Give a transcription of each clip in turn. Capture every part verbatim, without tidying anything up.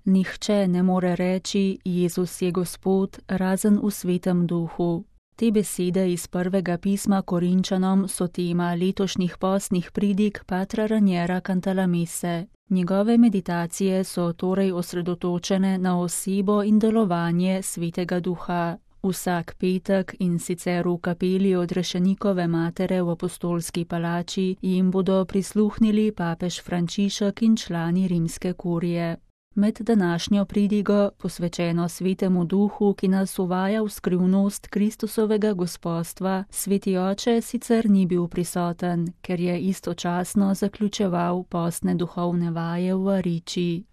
Nihče ne more reči, Jezus je Gospod, razen v Svetem Duhu. Te besede iz prvega pisma Korinčanom so tema letošnjih postnih pridig patra Raniera Cantalamesse. Njegove meditacije so torej osredotočene na osebo in delovanje Svetega Duha. Vsak petek in sicer v kapeli Odrešenikove matere v Apostolski palači jim bodo prisluhnili papež Frančišek in člani rimske kurije. Med današnjo pridigo, posvečeno Svetemu Duhu, ki nas uvaja v skrivnost Kristusovega gospostva, Sveti oče sicer ni bil prisoten, ker je istočasno zaključeval postne duhovne vaje v Ariči.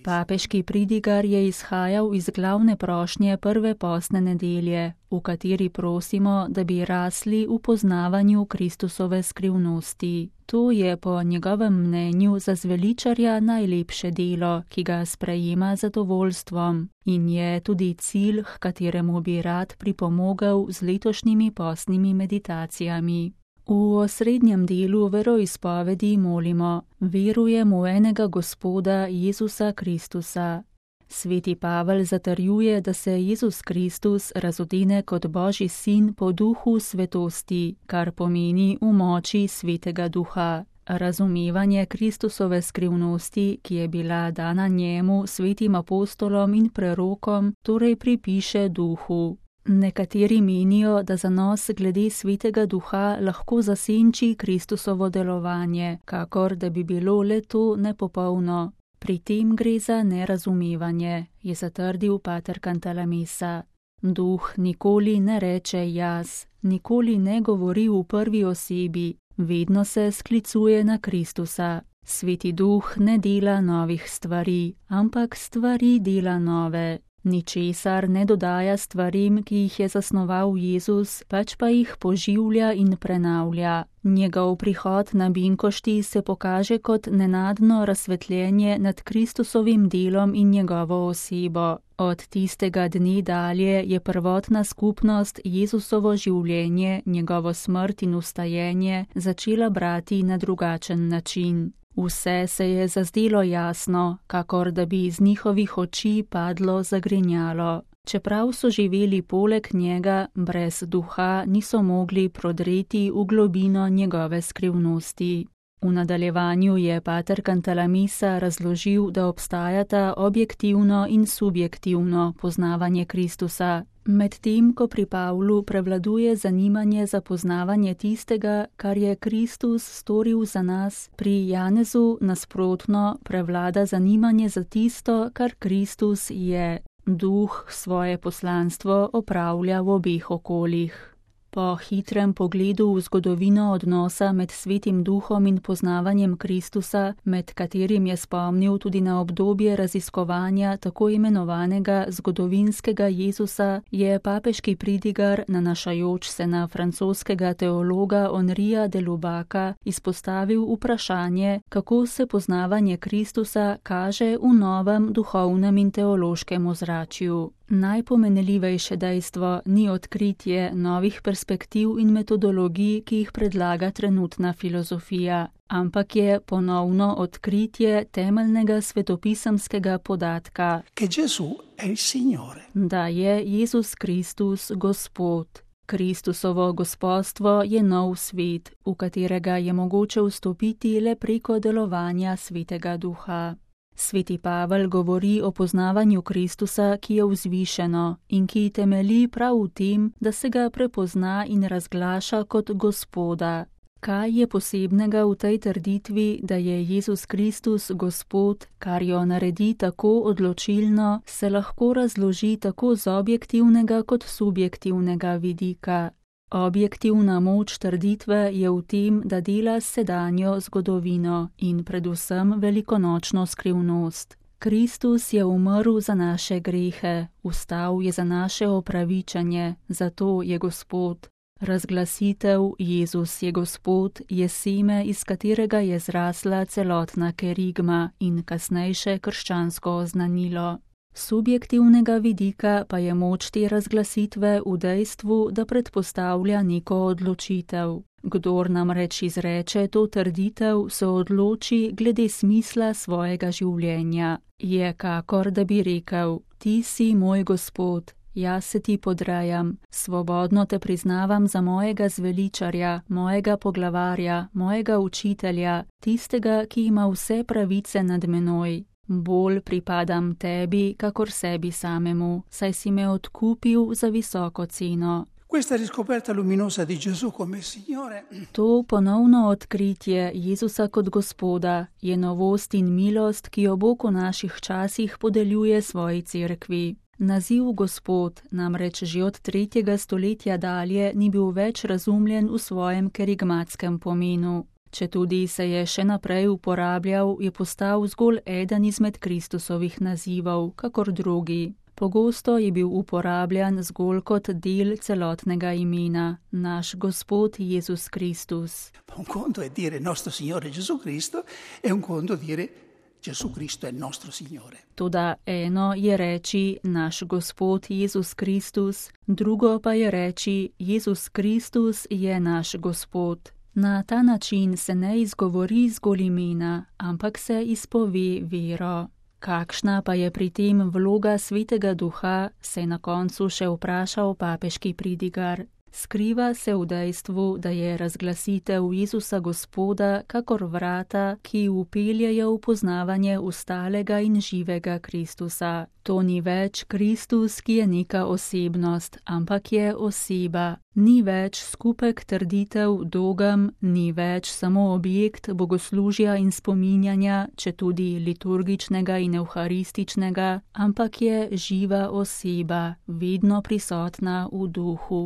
Papeški pridigar je izhajal iz glavne prošnje prve postne nedelje, v kateri prosimo, da bi rasli v poznavanju Kristusove skrivnosti. To je po njegovem mnenju za zveličarja najlepše delo, ki ga sprejema z zadovoljstvom, in je tudi cilj, h kateremu bi rad pripomogel z letošnjimi postnimi meditacijami. V osrednjem delu veroizpovedi molimo: verujem v enega Gospoda Jezusa Kristusa. Sveti Pavel zatrjuje, da se Jezus Kristus razodene kot Božji sin po duhu svetosti, kar pomeni v moči Svetega Duha. Razumevanje Kristusove skrivnosti, ki je bila dana njemu, svetim apostolom in prerokom, torej pripiše Duhu. Nekateri menijo, da zanos glede Svetega Duha lahko zasenči Kristusovo delovanje, kakor da bi bilo le to nepopolno. Pri tem gre za nerazumevanje, je zatrdil pater Cantalamessa. Duh nikoli ne reče jaz, nikoli ne govori v prvi osebi, vedno se sklicuje na Kristusa. Sveti Duh ne dela novih stvari, ampak stvari dela nove. Ničesar ne dodaja stvarim, ki jih je zasnoval Jezus, pač pa jih poživlja in prenavlja. Njegov prihod na binkošti se pokaže kot nenadno razsvetljenje nad Kristusovim delom in njegovo osebo. Od tistega dne dalje je prvotna skupnost Jezusovo življenje, njegovo smrt in vstajenje začela brati na drugačen način. Vse se je zazdelo jasno, kakor da bi iz njihovih oči padlo zagrinjalo. Čeprav so živeli poleg njega, brez duha niso mogli prodreti v globino njegove skrivnosti. V nadaljevanju je pater Cantalamessa razložil, da obstajata objektivno in subjektivno poznavanje Kristusa, medtem ko pri Pavlu prevladuje zanimanje za poznavanje tistega, kar je Kristus storil za nas, pri Janezu nasprotno prevlada zanimanje za tisto, kar Kristus je. Duh svoje poslanstvo opravlja v obeh okoljih. Po hitrem pogledu v zgodovino odnosa med Svetim Duhom in poznavanjem Kristusa, med katerim je spomnil tudi na obdobje raziskovanja tako imenovanega zgodovinskega Jezusa, je papeški pridigar, nanašajoč se na francoskega teologa Henrija de Lubaka, izpostavil vprašanje, kako se poznavanje Kristusa kaže v novem duhovnem in teološkem ozračju. Najpomenljivejše dejstvo ni odkritje novih perspektiv in metodologij, ki jih predlaga trenutna filozofija, ampak je ponovno odkritje temeljnega svetopisemskega podatka, da je Jezus Kristus Gospod. Kristusovo gospostvo je nov svet, v katerega je mogoče vstopiti le preko delovanja Svetega Duha. Sveti Pavel govori o poznavanju Kristusa, ki je vzvišeno in ki temelji prav v tem, da se ga prepozna in razglaša kot Gospoda. Kaj je posebnega v tej trditvi, da je Jezus Kristus Gospod, kar jo naredi tako odločilno, se lahko razloži tako z objektivnega kot subjektivnega vidika. Objektivna moč trditve je v tem, da dela sedanjo zgodovino in predvsem velikonočno skrivnost. Kristus je umrl za naše grehe, vstal je za naše opravičanje, zato je Gospod. Razglasitev Jezus je Gospod je seme, iz katerega je zrasla celotna kerigma in kasnejše krščansko oznanilo. Subjektivnega vidika pa je moč te razglasitve v dejstvu, da predpostavlja neko odločitev. Kdor namreč izreče to trditev, se odloči glede smisla svojega življenja. Je kakor, da bi rekel: Ti si moj Gospod, jaz se ti podrejam, svobodno te priznavam za mojega zveličarja, mojega poglavarja, mojega učitelja, tistega, ki ima vse pravice nad menoj. Bolj pripadam tebi, kakor sebi samemu, saj si me odkupil za visoko ceno. Questa riscoperta luminosa di Gesù come Signore. To ponovno odkritje Jezusa kot Gospoda je novost in milost, ki jo Bog v naših časih podeljuje svoji cerkvi. Naziv Gospod namreč že od tretjega stoletja dalje ni bil več razumljen v svojem kerigmatskem pomenu. Četudi se je še naprej uporabljal, je postal zgolj eden izmed Kristusovih nazivov, kakor drugi. Pogosto je bil uporabljan zgolj kot del celotnega imena, naš Gospod Jezus Kristus. Un conto è dire nostro Signore Gesù Cristo e un conto dire Gesù Cristo è nostro Signore. Toda eno je reči naš Gospod Jezus Kristus, drugo pa je reči Jezus Kristus je naš Gospod. Na ta način se ne izgovori zgolj imena, ampak se izpove vero. Kakšna pa je pri tem vloga Svetega Duha, se je na koncu še vprašal papeški pridigar. Skriva se v dejstvu, da je razglasitev Jezusa Gospoda kakor vrata, ki vpeljejo v poznavanje ostalega in živega Kristusa. To ni več Kristus, ki je neka osebnost, ampak je oseba. Ni več skupek trditev dogem, ni več samo objekt bogoslužja in spominjanja, četudi liturgičnega in evharističnega, ampak je živa oseba, vedno prisotna v duhu.